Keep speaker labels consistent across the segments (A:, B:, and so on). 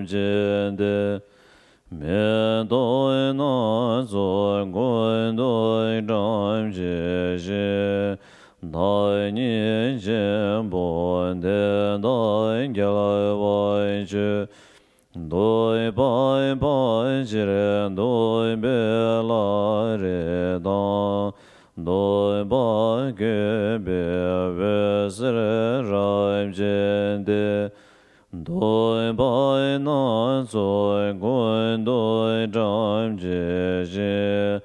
A: jin de me doi na zo gun doi zhang ji shi dai ni jin bo de dai ge lai wai ji doi bai bai ji re doi be la re da doi bai ge be ve se re rai jin de doi bai na zo gun doi zhang ji shi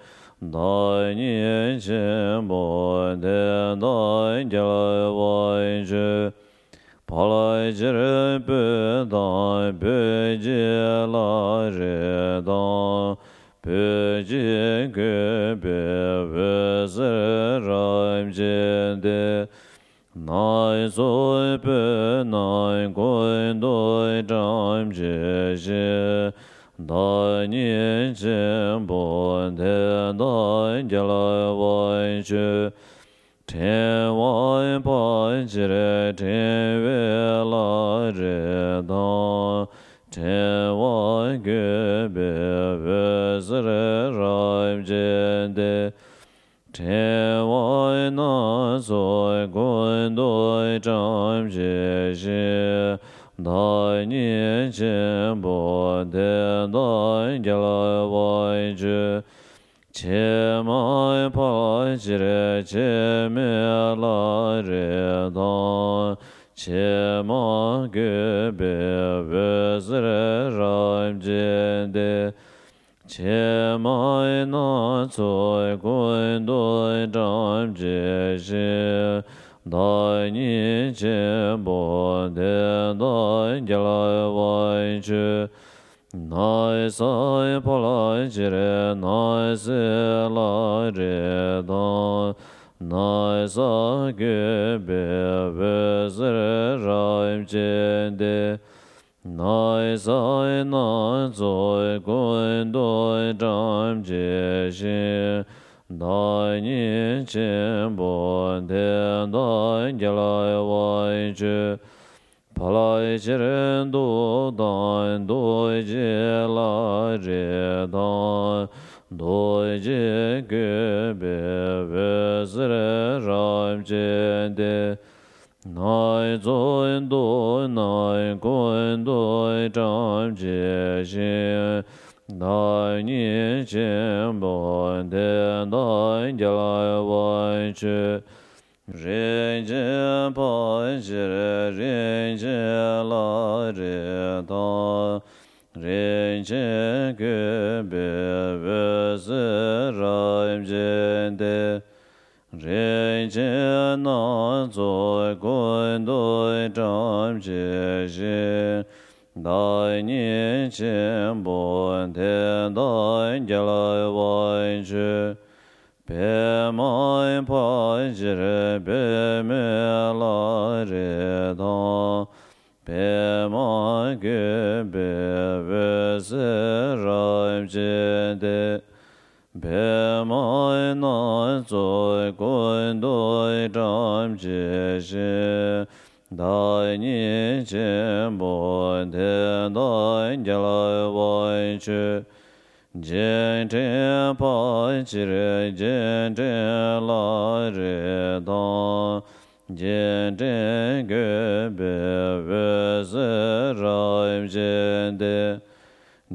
A: dai ni jin bo de dai ge lai wai ji pa lai ji re bu dai bu ji la re da bu ji ge be ve se rai jin de nai zoi bu nai gun doi zhang ji shi dai ni jin bo de dai ge lai wai ji ten wai bai ji re ten we la re da ten wai ge be ve se re rai jin de ten wai na zoi gun doi zhang ji shi dai ni jin bo de dai ge lai wai ji che mai pa ji re che me la re da che ma ge be ve se re rai jin de che mai na zoi gun doi zhang ji shi dai ni jin bo de dai ge lai wai ji nai sai pa lai ji re nai se la re da nai sa ge be ve se re rai jin de nai sai na zoi gun doi zhang ji shi dai ni jin bo de dai ge lai wai ji pa lai ji re du dai doi ji la re da doi ji ge be ve se re rai jin de nai zoi doi nai gun doi zhang ji shi dai ni jin bo de dai ge lai wai ji ren jin pa ji re ren jin la re da ren jin ge be ve se rai jin de ren jin na zoi gun doi zhang ji shi dai ni jin bo de dai ge lai wai ji pe mai pa ji re pe me la re da pe mai ge be ve se rai jin de pe mai na zoi gun doi zhang ji shi dai ni jin bo de dai ge lai wai ji jin zhen pa ji re jin zhen la re da jin zhen ge be ve se rai jin de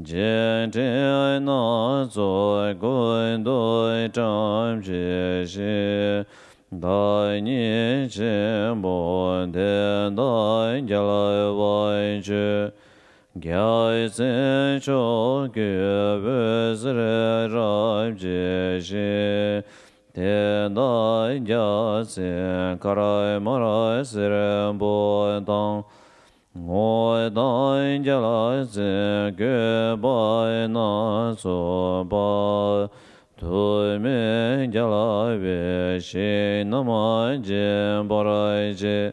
A: jin zhen na zoi gun doi zhang ji shi dai ni jin bo de dai ge lai wai ji gyai zhen chou ge ve se re rai ji shi ten dai gya zhen karai marai se re bo dang ngoi dai ge lai zhen ge bai na zo ba tu me ge lai ve shi na mai jin ba rai ji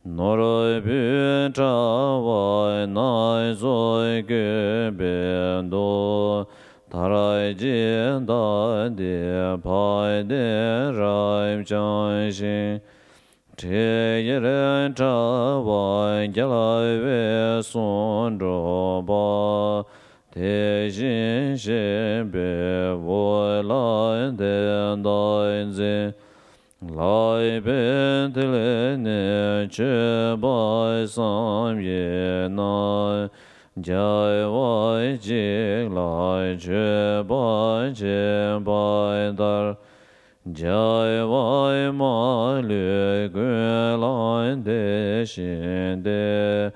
A: Noroi bu cha wai nai zoi ge ben do tarai jin da de pai de rai chan shin che ye ren cha wai ge lai ve son zhō bā te xin xin bē wǒ lai den dāi zhēn lai bēn te lē nē chē bāi sām yē nāi jai wāi jīk lai chē bāi chē bāi dār jai wāi mā lū gu lai dē xin dē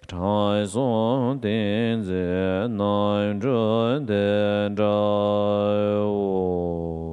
A: chāi sōng dēn zē nāi zhō dēn zhāi wō